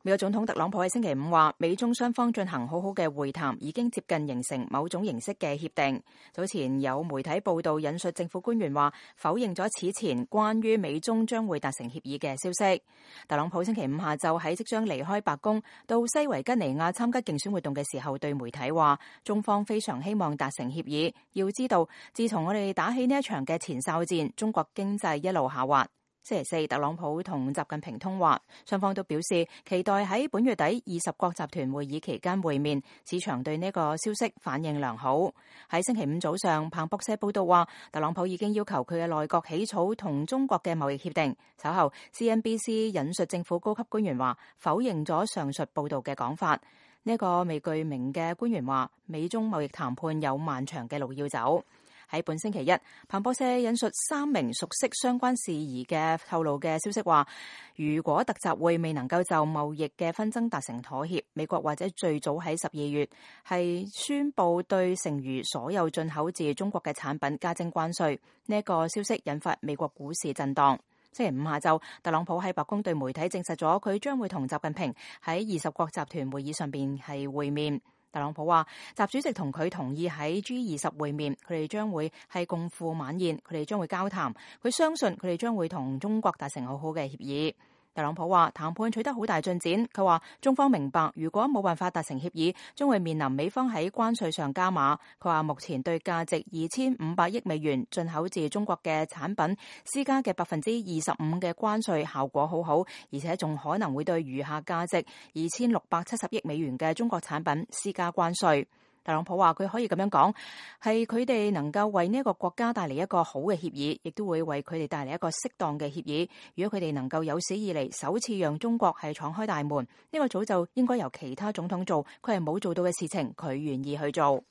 美國總統特朗普喺星期五話，美中雙方進行好好嘅會談，已經接近形成某種形式嘅協定。早前有媒體報道引述政府官員話，否認咗此前關於美中將會達成協議嘅消息。特朗普星期五下晝喺即將離開白宮到西維吉尼亞參加競選活動嘅時候，對媒體話，中方非常希望達成協議。要知道，自從我哋打起呢一場嘅前哨戰，中國經濟一路下滑。星期四，特朗普同習近平通話，雙方都表示期待喺本月底20國集團會議期間會面。市場對呢個消息反應良好。喺星期五早上，彭博社報道話，特朗普已經要求佢嘅內閣起草同中國嘅貿易協定。稍後 CNBC 引述政府高級官員話，否認咗上述報道嘅講法。呢個未具名嘅官員話，美中貿易談判有漫長嘅路要走。喺本星期一，彭博社引述3名熟悉相關事宜嘅透露嘅消息話，如果特集會未能夠就貿易嘅紛爭達成妥協，美國或者最早喺12月係宣布對剩餘所有進口自中國嘅產品加徵關稅。呢個消息引發美國股市震盪。星期五下晝，特朗普喺白宮對媒體證實咗佢將會同習近平喺20國集團會議上邊係會面。特朗普話，習主席同佢同意喺 G20 會面，佢哋將會係共赴晚宴，佢哋將會交談，佢相信佢哋將會同中國達成好好嘅協議。特朗普話談判取得好大進展，佢話中方明白如果冇辦法達成協議，將會面臨美方喺關稅上加碼。佢話目前對價值2500億美元進口自中國嘅產品施加嘅25%嘅關稅效果好好，而且仲可能會對餘下價值2670億美元嘅中國產品施加關稅。特朗普話佢可以咁樣講，係佢哋能夠為呢一個國家帶嚟一個好嘅協議，亦都會為佢哋帶嚟一個適當嘅協議。如果佢哋能夠有史以嚟首次讓中國係闖開大門，呢個早就應該由其他總統做，佢係冇做到嘅事情，佢願意去做。